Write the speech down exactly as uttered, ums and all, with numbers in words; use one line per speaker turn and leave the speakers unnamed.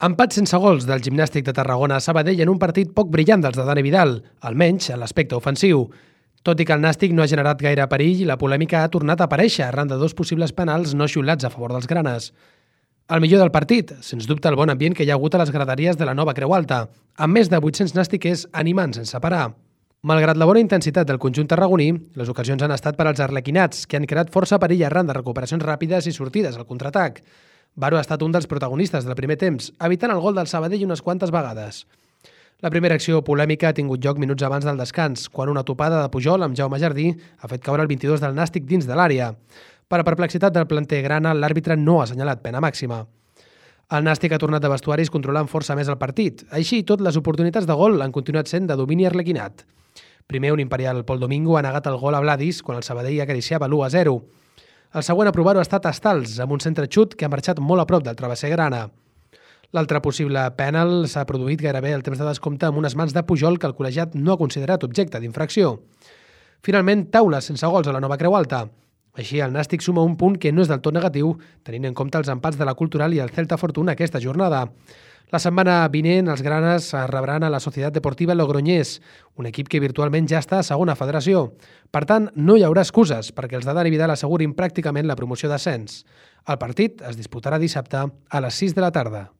Empat sense gols del Gimnàstic de Tarragona a Sabadell en un partit poc brillant dels de Dani Vidal, almenys en l'aspecte ofensiu. Tot i que el Nàstic no ha generat gaire perill, la polèmica ha tornat a aparèixer arran de dos possibles penals no xiulats a favor dels granes. El millor del partit, sens dubte el bon ambient que hi ha hagut a les graderies de la nova Creu Alta, amb més de vuit-cents nàstiquers animant sense parar. Malgrat la bona intensitat del conjunt tarragoní, les ocasions han estat per als arlequinats, que han creat força perill arran de recuperacions ràpides i sortides al contraatac. Baro ha estat un dels protagonistes del primer temps, evitant el gol del Sabadell unes quantes vegades. La primera acció polèmica ha tingut lloc minuts abans del descans, quan una topada de Pujol amb Jaume Jardí ha fet caure el vint-i-dos del Nàstic dins de l'àrea. Per a perplexitat del planter grana, l'àrbitre no ha assenyalat pena màxima. El Nàstic ha tornat de vestuaris controlant força més el partit. Així i tot, les oportunitats de gol han continuat sent de domini arlequinat. Primer, un imperial Pol Domingo ha negat el gol a Vladis quan el Sabadell acariciava l'u a zero. El següent a provar-ho ha estat Estals, amb un centre xut que ha marxat molt a prop del travesser grana. L'altre possible pènal s'ha produït gairebé al temps de descompte amb unes mans de Pujol que el col·legiat no ha considerat objecte d'infracció. Finalment, taules sense gols a la nova Creu Alta. Així, el Nàstic suma un punt que no és del tot negatiu, tenint en compte els empats de la Cultural i el Celta Fortuna aquesta jornada. La setmana vinent, els granes rebran a la Societat Deportiva Logroñés, un equip que virtualment ja està a segona federació. Per tant, no hi haurà excuses perquè els de Dani Vidal assegurin pràcticament la promoció d'ascens. El partit es disputarà dissabte a les sis de la tarda.